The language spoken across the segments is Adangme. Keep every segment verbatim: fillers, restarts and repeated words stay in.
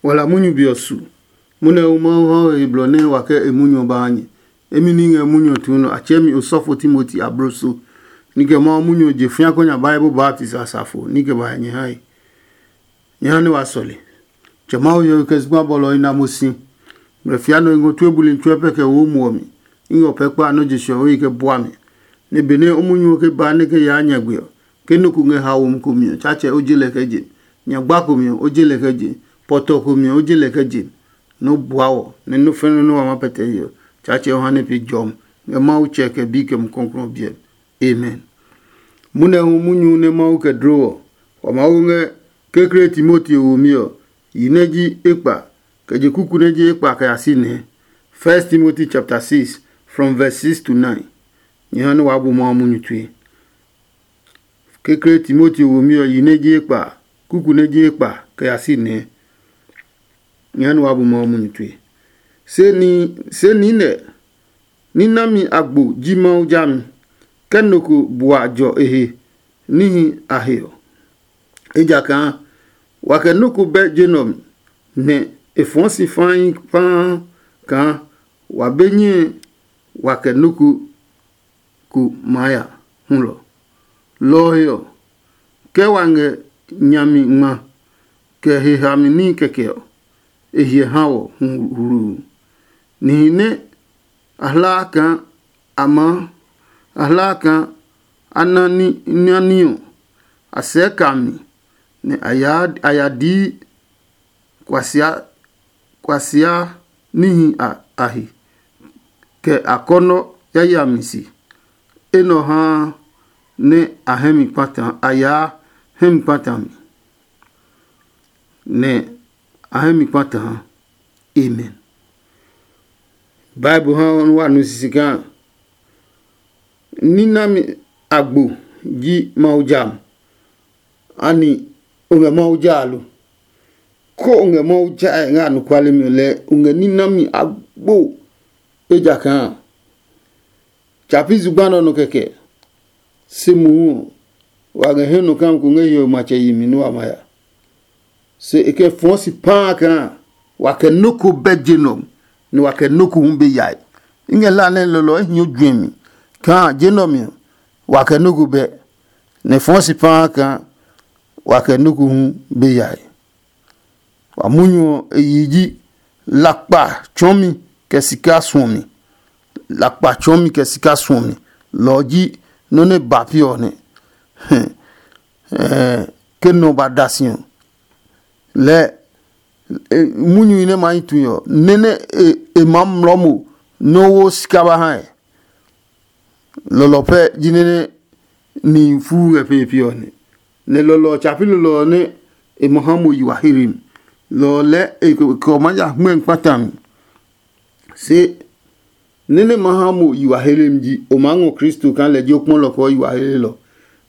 Wala munyu be ɔ su. Munɛ hu Mawu ha o he blɔ nɛ wa kɛ e munyu ɔ ba ha nyɛ. Emi ní ngɛ munyu ɔ tuu nɔ, a tsɛɛ mi osɔfo Timoti abloso. Ní kɛ Mawu munyu ɔ je fĩa kɔ nya Bible baptisi asafo ní kɛ ba nyɛ hae. Nyɛ ha nɛ wa sɔle. Tsɛ Mawu hiɔwe kɛ zugba bɔlɔ ɔ na mo si. Mrɛ fia nɔ i ngɔ tue buli tsuɛ pɛ kɛ wo muɔ mi. I ngɛ o pɛ kpa nɔ́ je sɛɔwe kɛ bua mi. Nɛ benɛ o munyu ɔ ke ba nɛ kɛ yaa nyagbe ɔ, ke nɔ́ ko ngɛ haomi ko mi ɔ, Tsaatsɛ o je lɛ kɛ je. Nyagba ko mi ɔ, o je lɛ kɛ je. Pɔtɔ ko mi ɔ, o je lɛ kɛ je. Nɔ́ bua wɔ, nɛ nɔ́ fɛnɛ nɔ́ wa ma pɛtɛ ye ɔ, Tsaatsɛ o ha nɛ pe jɔmi ngɛ Mawu Tsɛ kɛ Bi kɛ Mumi Klɔuklɔu ɔ biɛ mi. Amen. Munɛ hu munyu nɛ Mawu kɛ dlo ɔ, wa maa wo ngɛ kekle Timoti womi ɔ, yi nɛ ji ekpa, kɛ je kuku nɛ ji ekpa kɛ ya si nɛ. First Timothy chapter six, from verse six to nine. Nyɛ ha nɛ waa bu Mawu munyu tue. Kekle Timoti womi ɔ, yi nɛ ji ekpa, kuku nɛ ji ekpa kɛ ya si nɛ. Nyɛ ha nɛ waa bu Mawu munyu tue. Se ni se niinɛ ní nami agbo ji Mawu jami, kɛ nɔ ko bua jɔ e he níhi a he ɔ. Ejakaa wa kɛ nɔ́ ko bɛ je nɛ ɔ mi, nɛ e fɔɔ si fãi paa kaa wa be nyɛe wa kɛ nɔ́ ko ko maa ya hulɔ. Lɔ ɔ he ɔ, ke wa ngɛ nyami ngma kɛ he hami ní kɛkɛ ɔ, e hyɛ ha wɔ hu hluu. Nihi nɛ a hlaa kaa a maa a hlaa kaa a na ní nyani ɔ, a sɛɛ ka mi, nɛ a ya a ya dii kuasia kuasia níhi a a he, kɛ akɔnɔ yayami se. Enɛ ɔ haa nɛ a hɛ mi kpata a yaa hɛ mi kpata mi, nɛ a hɛ mi kpata ha. Amen. Bible ha nɔ wa nu sisi kaa ní nami agbo ji Mawu ja mo. Ani o ngɛ Mawu ja lo? Ko o ngɛ Mawu ja ngɛ anɔkuale mi ɔ lɛɛ o ngɛ ní nami agbo. Ejakaa tsa pi zugba nɛ ɔ nɔ kɛkɛ. Se mohu ɔ, wa ngɛ hɛ nɔ kam ko ngɛ hiɔwe matsɛ yemi nɛ wa ma ya. Se e kɛ fɔɔ si paa kaa wa kɛ nɔ́ ko bɛ je nɔ, nɛ wa kɛ nɔ́ ko hu be yae. I ngɛ la nɛ lɔlɔ e hio juɛmi kaa je nɔ mi ɔ, wa kɛ nɔ́ ko bɛ, nɛ fɔɔ si paa kaa wa kɛ nɔ́ ko hu be yae. Wa munyu ɔ e yi ji lakpa tsɔɔmi kɛ sika suɔmi. Lakpa tsɔɔmi kɛ sika suɔmi, lɔ ɔ ji nɔ́ nɛ ba pi ɔ nɛ. Ke nɔ ba da si ɔ, lɛɛ munyuhi nɛ ma yi tui ɔ, nɛ nɛ e maa mlɔ mo nɛ wo sika ba hae. Lɔlɔ pɛ ji nɛ nɛ nihi fuu ngɛ pee pi ɔ nɛ, nɛ lɔlɔ ɔ tsa pi lɔlɔ ɔ nɛ e ma ha mo yi wa heri mi. Lɔ ɔ lɛɛ e kɛ ɔ maa ya hmɛ kpata mi. Se nɛ nɛ ma ha mo yi wa heli mi ji, o maa ngɔ Kristo kaa lɛ ji o kpɔlɔ kɛ o yi wa helelɔ.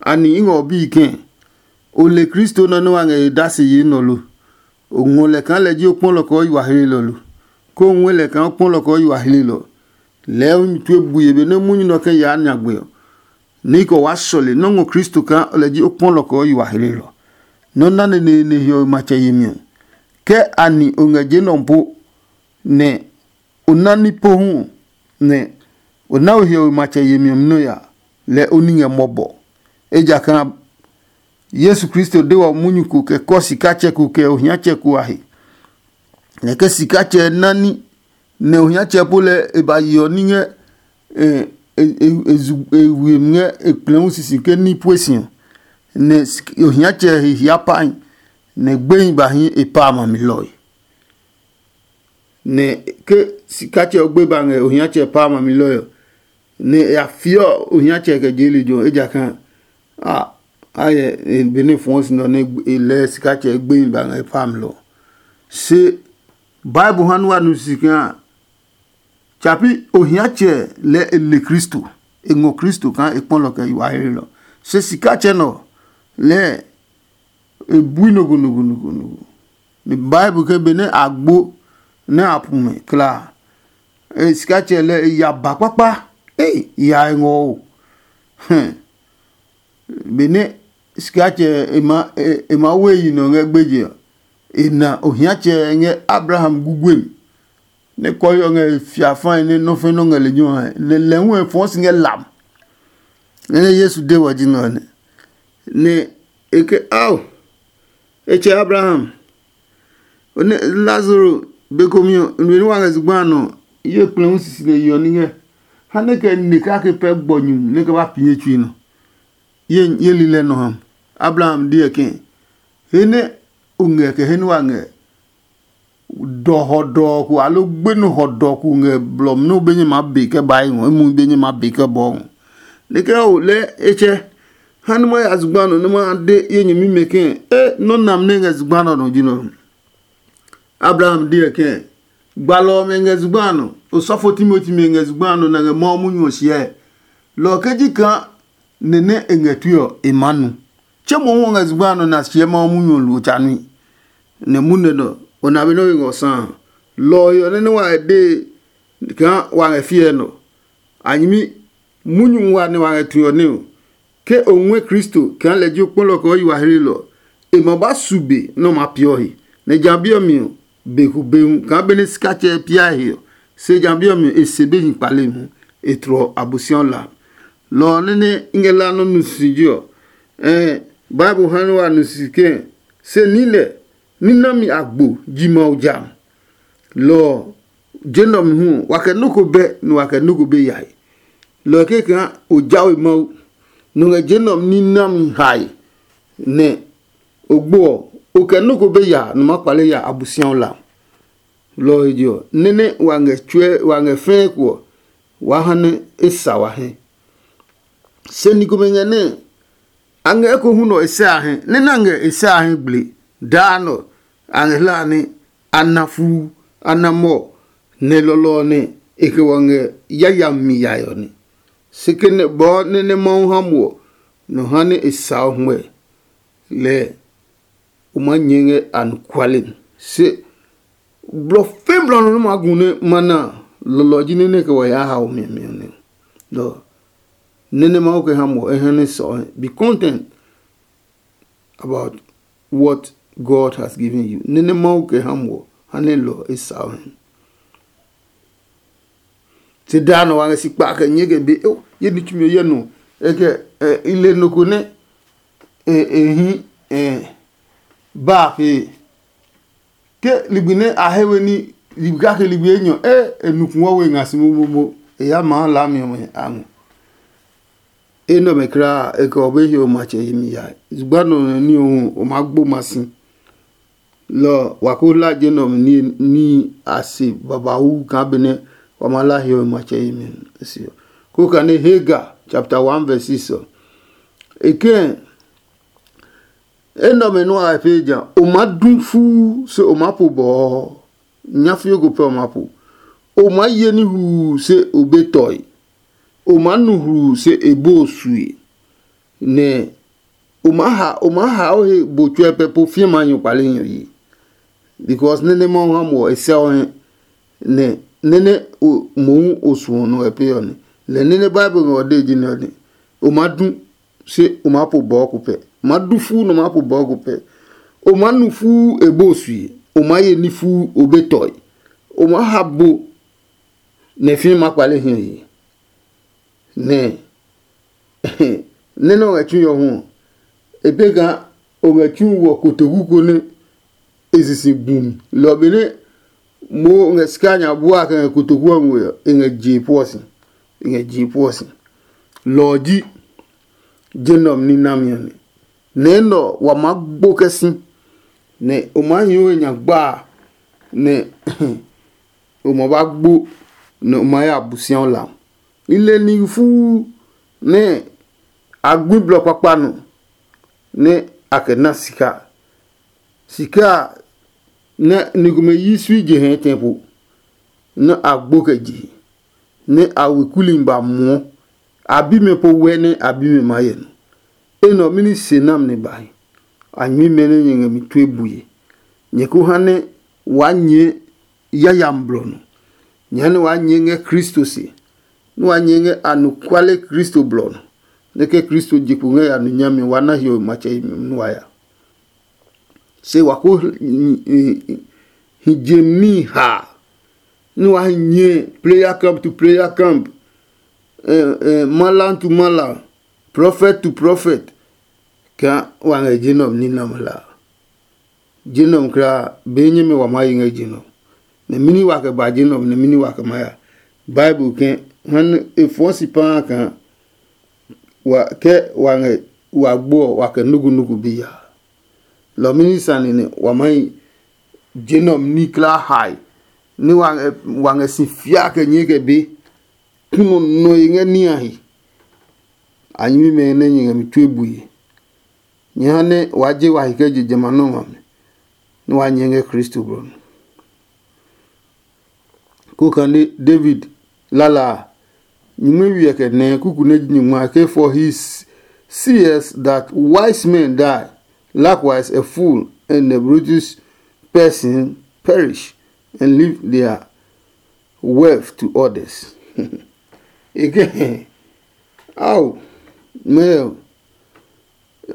Ani i ngɛ o bii kɛ̃? O le Kristo nɔ nɛ wa ngɛ e dasi yi nɔ lo? O ngɔ lɛ kaa lɛ ji o kpɔlɔ kɛ o yi wa helelɔ lo? Ko o ngɔɛ lɛ kaa o kpɔlɔ kɛ o yi wa helelɔ? Lɛɛ o mi tue bue benɛ munyu nɛ ɔ kɛ yaa nyagbe ɔ, nɛ i kɛ waa sɔle nɔ́ ngɔ Kristo kaa lɛ ji o kpɔlɔ kɛ o yi wa helelɔ. Nɔ́ nɛ neneene hiɔwe matsɛ yemi ɔ, ke ani o ngɛ je nɔ po, nɛ o ná ní pohu ɔ, nɛ o ná o hiɔwe matsɛ yemi ɔ nɔ ya, lɛ o ní ngɛ mɔbɔ. Ejakaa Yesu Kristo de wɔ munyu ko kɛ kɔ sikatsɛ ko kɛ ohiatsɛ ko a he. Nɛ ke sikatsɛ ná ní nɛ ohiatsɛ po lɛ e ba yeɔ ní ngɛ e e e zu e we ngɛ e kplɛ̃ hu sisi ke ní pue si ɔ, nɛ ohiatsɛ he hia pahi, nɛ gbehi ba hi e pa a ma mi lɔe. Nɛ ke sikatsɛ ɔ gbe ba ngɛ ohiatsɛ pa a ma mi lɔe ɔ, nɛ e ya fiɔ ohiatsɛ kɛ je lejɛ ɔ, ejakaa a a yɛ benɛ fɔɔ si nɔ nɛ e lɛɛ sikatsɛ gbehi ba ngɛ e pa a mi lɔ. Se Bible ha nua nu si kaa tsa pi ohiatsɛ lɛɛ e le Kristo, e ngɔ Kristo kaa e kpɔlɔ kɛ yi wa hlelɔ. Se sikatsɛ nɔ lɛɛ e bui nogonogonogonogo. Ni Bible ke benɛ a gbo nɛ a pu mɛ kla, e sikatsɛ lɛ e ya ba kpakpa. Ei, ya e ngɔ o. Benɛ sikatsɛ e ma e ma we yi nɔ ngɛ gbeje ɔ, E na ohiatsɛ ngɛ Abraham guguem, nɛ kɔɔhiɔ ngɛ e fiafae nɛ nɔ́ fɛ nɔ́ ngɛ lejɛ ɔ hɛ, nɛ lɛ hu e fɔɔ si ngɛ lam. Nɛ nɛ Yesu de wɔ ji nɛ ɔ nɛ, nɛ e ke, ao, e tsɛ Abraham, o ne Lazaro be komi ɔ, nue nɛ wa ngɛ zugba a nɔ, ye kplɛ hu sisi nɛ yeɔ ní ngɛ, ha nɛ kɛ ne kake pɛ gbɔ nyu nɛ kɛ ba pi ye tsui nɔ. Ye ye lilɛ nɔ ha. Abraham deɛ ke, he nɛ o ngɛ kɛ he nɛ wa ngɛ dɔ hɔdɔɔ ko aloo gbenu hɔdɔɔ ko ngɛ blɔ mi nɛ o be nyɛ maa be kɛ ba ngɔ, emu be nyɛ maa be kɛ bɔɔ ngɔ. Nɛ kɛ o lɛ e tsɛ, ha nɛ ma ya zugba nɔ nɛ ma de ye nyɛmimɛ ke, e nɔ́ nam nɛ ngɛ zugba nɔ nɔ ji nɔ. Abraham deɛ ke, gbalɔ ɔmɛ ngɛ zugba nɔ, osɔfo timoti mɛ ngɛ zugba nɔ nɛ ngɛ Mawu munyu ɔ hyɛ. Lɔ ɔ ke ji kaa nɛ nɛ e ngɛ tue ɔ, e maa nu. Tse mohu ɔ ngɛ zugba nɔ nɛ a hyɛ Mawu munyu ɔ lo tsa nui. Nɛ munɛ nɔ, o na be nɔ́ we ngɔ sã a. Lɔ ɔ he ɔ nɛ nɛ wa ngɛ dee kaa wa ngɛ fiɛ nɔ. A nyɛmi munyu wa nɛ wa ngɛ tue ɔ nɛ ɔ, ke o ngɔɛ Kristo kaa lɛ ji o kpɔlɔ kɛ o yi wa hlelɔ ɔ, e ma ba su be nɛ o maa peeɔ he. Nɛ ja bi ɔ mi ɔ, be ko be hu kaa benɛ sikatsɛ ɛ piae he ɔ, se ja bi ɔ mi ɔ, e se be hi kpale hu, e tlɔ Abosiaɔ la. Lɔ ɔ nɛ nɛ i ngɛ la nɔ́ nu si ji ɔ, ɛɛ Bible ha nɛ wa nu si kɛɛ, se niinɛ ní nami agbo ji Mawu ja. Lɔ ɔ, je nɛ ɔ mi hu ɔ, wa kɛ nɔ́ ko bɛ, nɛ wa kɛ nɔ́ ko be yae. Lɔ ɔ kɛkaa o jawe Mawu, nɔ ngɛ je nɛ ɔ ní nami hae, nɛ o gbo ɔ, o kɛ nɔ́ ko be ya nɔ maa kpale ya Abosiaɔ la. Lɔ ɔ he je ɔ, nɛ́ nɛ wa ngɛ tsuɛ wa ngɛ fɛɛ ko ɔ, waa ha nɛ e sa wa hɛ. Se ni komɛ ngɛ nɛ a ngɛ ekohu nɔ e sɛ a hɛ, nɛ nɛ a ngɛ e sɛ a hɛ gble. Daa nɔ a ngɛ hlaa nɛ a na fuu, a na mɔ, nɛ lɔlɔ ɔ nɛ e kɛ wɔ ngɛ yayami yae ɔ nɛ. Se ke nɛ bɔɔ nɛ nɛ Mawu ha mo ɔ, nɔ ha nɛ e sa o hwɛ lɛ o maa nyɛɛ ngɛ anɔkuale mi. Se blɔ fɛɛ blɔ nɔ nɛ ma gu nɛ ma na a, lɔlɔ ji nɛ nɛ kɛ wa yaa hao miamia nɛ. Lɔ nɛ nɛ Mawu kɛ ha mo ɔ, e ha nɛ sɔ. Be content about what God has given you. Nɛ nɛ Mawu kɛ ha mo ɔ, ha nɛ lɔ e sa o hɛ. Te daa nɔ wa ngɛ si kpa kɛ nyɛɛ kɛ be o ye ni tsumi ye nɔ e kɛ i le nɔ ko nɛ e hi ba a fee. Ke ligbi nɛ a he we ní ligbi kake ligbi enyɔ e e nukun ɔ we nga si momomo, e ya maa laami ɔmɛ a ngɔ. Enɛ ɔmɛ kulaa e kɛ ɔ be he o matsɛ yemi yae. Zugba nɔ nɛ ní ɔ hu o maa gbo ma si. Lɔ ɔ, wa ko hla je nɛ ɔmɛ ní a se babauu kaa benɛ wa maa la hiɔwe matsɛ yemi se ɔ. Koo kane Hagar chapter one verse six ɔ, e kɛɛ, enɛ ɔmɛ nua a pee ja, o maa du fuu se o maa po bɔɔ. Nyafio ko pɛ o maa po. O maa ye ní hluu se o be tɔe. O maa nu hluu se e bo o sue. Nɛ o maa ha o maa ha o he bo tsuɛ pɛ po fie ma nyɔ kpale nyɔ yi. Because nene Mawu ha mo ɔ e sɛ o hɛ. Nɛ nene o mohu o suɔ nɔ ɛ pe ɔ nɛ. Lɛ nene Bible ngɛ ɔ de ji nɛ ɔ nɛ. O maa du se o maa po bɔɔ ko pɛ. O maa du fuu nɛ o maa po bɔɔ ko pɛ. O maa nu fuu e bo sue. O maa ye ní fuu o be tɔe. O maa ha bo nɛ fie ma kpale hiɔ yi. Nɛ nɛ nɛ o ngɛ tsu yɔ hu ɔ, e pee kaa o ngɛ tsu wɔ kotoku ko nɛ e sisi gbu mi. Lɔ benɛ mo ngɛ sika nya bua kɛ ngɛ kotoku ɔ ngwe ɔ, e ngɛ jee puɔ si. E ngɛ jee puɔ si. Lɔ ɔ ji je nɛ ɔ ní nami ɔ nɛ. Nɛ enɛ ɔ wa maa gbo kɛ si, nɛ o maa hi we nya gbaa, nɛ o ma ba gbo, nɛ o ma ya Abosiaɔ la. I le nihi fuu nɛ a gui blɔ kpakpa nɔ nɛ a kɛ na sika. Sika a nɛ ni komɛ yi sui je hɛ tɛ po, nɛ a gbo kɛ je, nɛ a we kuli ba muɔ. A bi mɛ po wɛ nɛ a bi mɛ maa yɛ nɔ. Enɛ ɔ mɛni se nami nɛ ba hi? A nyɛmi mɛ nɛ nyɛ ngɛ mi tue bue. Nyɛ ko ha nɛ waa nyɛɛ yayami blɔ nɔ. Nyɛ ha nɛ waa nyɛɛ ngɛ Kristo se, nɛ waa nyɛɛ ngɛ anɔkuale Kristo blɔ nɔ, nɛ ke Kristo je kpo ngɛ ya nɔ nyami ɔ, waa na hiɔwe matsɛ yemi nua ya. se wa ko hi je mi ha, ni wa hi nyɛ prayer camp to prayer camp, eh, eh, malam to malam, prophet to prophet, kaa wa ngɛ je nɛ ɔ ní nɛ ɔ hla. Je nɛ ɔ kulaa be nyɛmɛ wa maa yi ngɛ je nɛ ɔ. Nɛ mɛni wa kɛ ba je nɛ ɔ, nɛ mɛni wa kɛ maa ya? Bible kɛ ha nɛ e fɔɔ si paa kaa wa kɛ wa ngɛ wa gbo ɔ, wa kɛ nugunugu bi ya. Lɔ mɛni sane nɛ wa maa yi je nɛ ɔ ní kulaa hae, nɛ wa ngɛ si fia kɛ nyɛɛ kɛ be, kúnɔ nɔ e ngɛ ní a he. A nyɛmimɛ nɛ nyɛ ngɛ mi tue bue. Nyɛ ha nɛ waa je wa hi kɛ je jamɛ a nɔ́ ngmami, nɛ waa nyɛ ngɛ Kristo blɔ mi. Ko kane David lala a, nyumu wiɛ kɛ nɛ kuku nɛ ji nyungma ke, for he sees that wise men die, likewise a fool and a brutish person perish, and leave their wealth to others. E ke, ao, mɛɛ ɔ,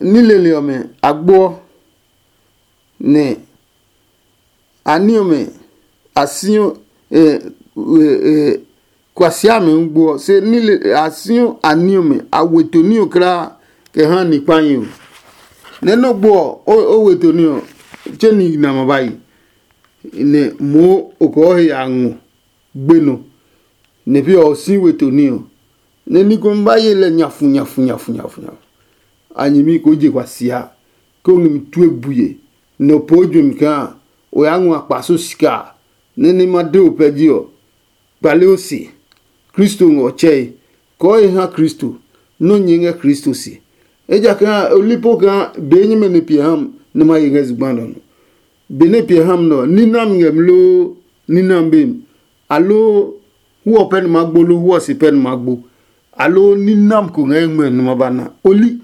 ní lele ɔmɛ a gboɔ, nɛ a ní ɔmɛ a siɔ, kuasia amɛ hu gboɔ, se ní lele a siɔ a ní ɔmɛ a we to ní ɔ kulaa kɛ ha ni kpahi ɔ. Nɛ nɔ́ gbo ɔ, o we to ní ɔ, tse ni na ma ba yi, nɛ moo o kɔɔ he ya ngɔ gbe nɔ, nɛ pi ɔ si we to ní ɔ, nɛ ní komɛ ba ye lɛ nyafu nyafu nyafu nyafu nyafu. A nyɛmi ko je kwa sia, ke o ngɛ mi tue bue, nɛ o poo juɛmi kaa o yaa ngɔ akpaso sika a, nɛ ní ma de o pɛ ji ɔ, kpale o se. Kristo ngɛ ɔ tsɛe, kɔɔ e ha Kristo, nɔ́ nyɛɛ ngɛ Kristo se. Ejakaa o li po kaa be nyɛmɛ nɛ piɛ ha m nɛ ma ye ngɛ zugba nɔ nɔ. Benɛ piɛ ha mi nɛ ɔ, ní nam ngɛ mi loo ní nam be mi, aloo hu ɔ pɛ nɛ ma gbo loo hu ɔ se pɛ nɛ ma gbo, aloo ní nam ko ngɛ ngmɛ nɛ ma ba na. O li,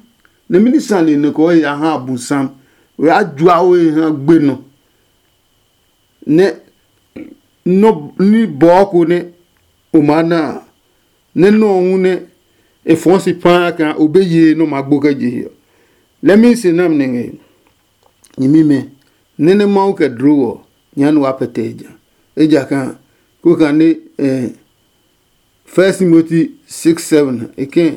nɛ mɛni sane nɛ kɔɔ ya ha abusam? O ya jua o he ha gbe nɔ, nɛ nɔ ní bɔɔ ko nɛ o maa na a, nɛ nɔ ɔ hu nɛ e fɔɔ si paa kaa o be yee nɛ o maa gbo kɛ je he ɔ. Lɛmi se nam nɛ ngɛ nyɛmimɛ, nɛ nɛ Mawu kɛ dlo ɔ, nya nɛ waa pɛtɛ e ja. Ejakaa ko kane eh, First Timothy six seven e kɛ̃,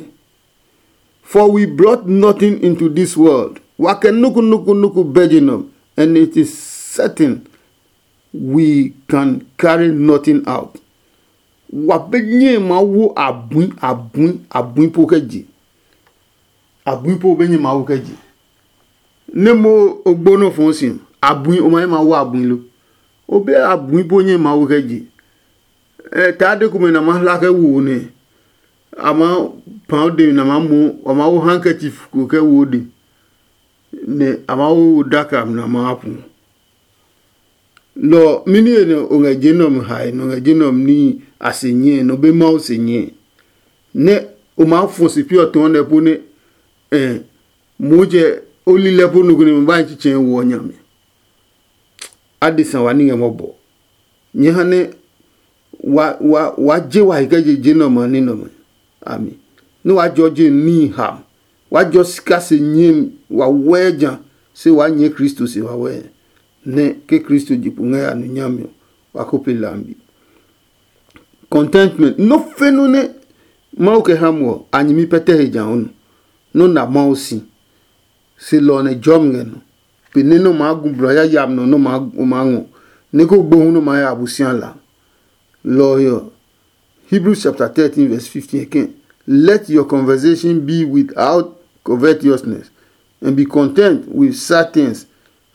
for we brought nothing into this world. Wa kɛ nuku nuku nuku bɛ je nɔ, and it is certain we can carry nothing out. Wa be nyɛe maa wo abui abui abui po kɛ je. Abui po be nyɛ maa wo kɛ je. Nɛ mo o gbo nɔ fɔɔ si, abui o ma ye maa wo abui lo? O be abui po nyɛ maa wo kɛ je. Ɛ taa de komɛ na ma hla kɛ wo nɛ a ma pã o de mi na ma mo, a ma wo handkerchief ko kɛ wo o de, nɛ a ma wo daka mi na ma pu. Lɔ mini he nɛ o ngɛ je nɛ ɔ mi hae, nɛ o ngɛ je nɛ ɔ mi níhi a se nyɛe, nɛ o be Mawu se nyɛe, nɛ o maa fɔ si pi ɔ tɔɔ nɛ po nɛ ɛ motsɛ o lilɛ po nɔ ko nɛ ma ba hi tsitsɛ wo ɔ nya mi. Adesa wa ní ngɛ mɔbɔ. Nyɛ ha nɛ wa wa wa je wa he kɛ je je nɛ ɔmɛ ní nɛ ɔmɛ a mi, nɛ wa jɔ je níhi ha, wa jɔ sika se nyɛmi wa wɛɛ ja, se wa nyɛɛ Kristo se wawɛɛ, nɛ ke Kristo je kpo ngɛ ya nu nyami ɔ, wa ko pe lambi. Contentment, nɔ fe nɔ nɛ Mawu kɛ ha mo ɔ, a nyɛmi pɛtɛ he ja ɔ nu. Nɔ na Mawu si, se lɔ ɔ nɛ jɔmi ngɛ nɔ. Pe nɛ nɔ maa gu blɔ yayami nɔ nɔ maa ngɔ, nɛ ko gbohu nɔ maa ya Abosiami la. Lɔ ɔ he ɔ, Hebrews chapter thirteen verse fifteen again. Let your conversation be without covetousness, and be content with such things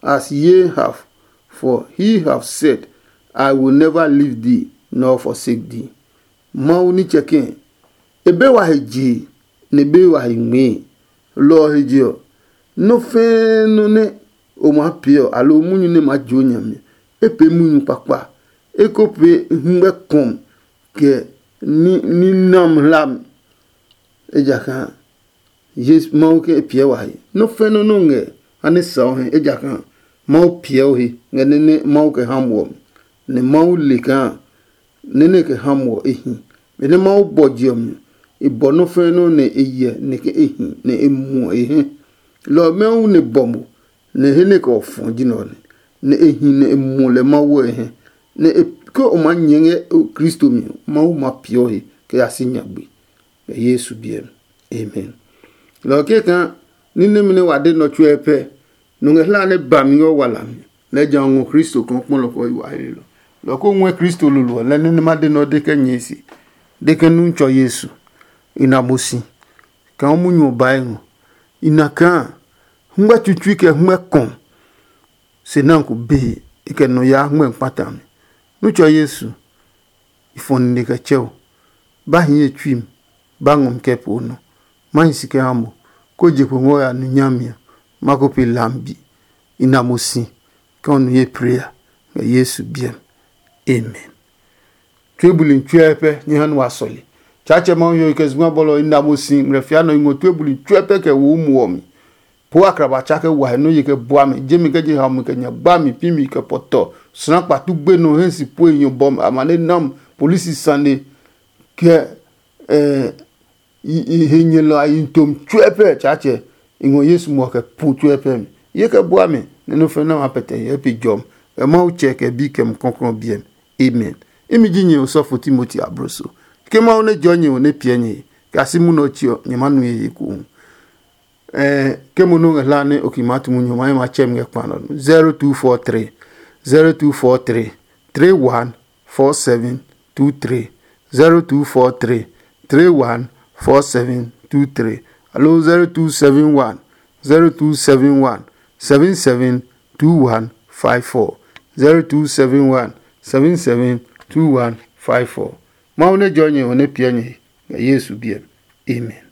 as ye have, for he have said, I will never leave thee nor forsake thee. Mawu nitsɛ kɛ̃, e be wa he jee, nɛ e be wa he ngmɛɛ. Lɔ ɔ he je ɔ, nɔ́ fɛ́ɛ́ nɔ́ nɛ o maa pee ɔ, aloo munyu nɛ maa jio nyami ɔ, e pee munyu kpakpa, e ko pee hɛngmɛ kɔmi kɛ ní ní nam hlami. Ejakaa Yesu Mawu ke e piɛ wa he. Nɔ́ fɛ́ nɔ́ nɛ o ngɛ ha nɛ sa o he, ejakaa Mawu piɛ o he ngɛ nɛ nɛ Mawu kɛ ha muɔ mi, nɛ Mawu le kaa nɛ nɛ kɛ ha muɔ e hi. Benɛ Mawu bɔ je ɔ mi, e bɔ nɔ́ fɛ́ nɔ́ nɛ e hyɛ nɛ ke e hi nɛ e muɔ e hɛ. Lɔ ɔ Mawu nɛ bɔ mo, nɛ he nɛ kɛ ɔ fɔ ji nɛ ɔ nɛ, nɛ e hi nɛ e muɔ lɛ Mawu ɔ hɛ, nɛ e ke o maa nyɛɛ ngɛ Kristo mi ɔ, Mawu ma peeɔ he kɛ ya si nyagbe. Ngɛ Yesu biɛ mi. Amen. Lɔ kɛkaa ní nɛmɛ nɛ wa de nɔ tsuɛ pɛ, nɔ ngɛ hla nɛ ba mi ngɛ wala mi, lɛ ja ngɔ Kristo kɔnkpɔlɔ kɔ yi wa he lɔ. Lɔ ko ngɔɛ Kristo lolo ɔ, lɛ nɛ ma de nɔ de kɛ nyɛɛ se, de kɛ nu tsɔ Yesu. I na mo si, kaa munyu ɔ bae ngɔ. I na kaa hungmɛ tsutui kɛ hungmɛ kɔ̃ se nan ko bee, e kɛ nɔ yaa hungmɛ kpata mi. Nu tsɔ Yesu, i fɔ nine kɛ tsɛ o. Ba hi ye tsui mi, ba ngɔ mi kɛ po nɔ. Ma hi si kɛ ha mo, ko je kpo ngɔ ya nu nyami ɔ, ma ko pe lambi. I na mo si, kɛ o nu ye prayer ngɛ Yesu biɛ mi. Amen. Tue buli tsuɛ pɛ nyɛ ha nu wa sɔle. Tsaatsɛ Mawu yɔ kɛ zugba bɔlɔ i na mo si ngmlɛ fia nɔ i ngɔ tue buli tsuɛ pɛ kɛ wo mu ɔ mi. Po akraba tsa kɛ wa he nɔ ye kɛ bua mi, jemi kɛ je ha mi kɛ nya gba mi pi mi kɛ pɔtɔ. Sra kpatu gbe nɔ hɛ si pue nyɔ bɔm amane nam polisi sane kɛ eh, i- i- he nyɛlɔ a yi tom tsuɛ pɛ Tsaatsɛ. I ngɔ Yesu muɔ kɛ pu tsuɛ pɛ mi. Ye kɛ bua mi nɛ nɔ fɛ na ma pɛtɛ hyɛ pe jɔm. Kɛ Mawu tsɛ kɛ bi kɛ mu kɔklɔ biɛ mi. Amen. Imi ji nyɛ osɔfo Timoti abroso. Ke Mawu nɛ jɔ nyɛ ɔ nɛ piɛ nyɛ he, kɛ a si munɔ ɔ tsi ɔ, nyɛ ma nu ye he kou. Ɛɛ, ke mo nɔ ngɛ hla nɛ o ki maa tu munyu ɔ, ma ye ma tsɛ mi ngɛ kpa nɔ. Zero two four three, zero two four three, three one four seven two three, zero two four three, three one four seven two three, alo zero two seven one, zero two seven one, seven seven two one five four, zero two seven one, seven seven two one five four. Mawu nɛ jɔ nyɛ ɔ nɛ piɛ nyɛ he ngɛ Yesu biɛ mi. Amen.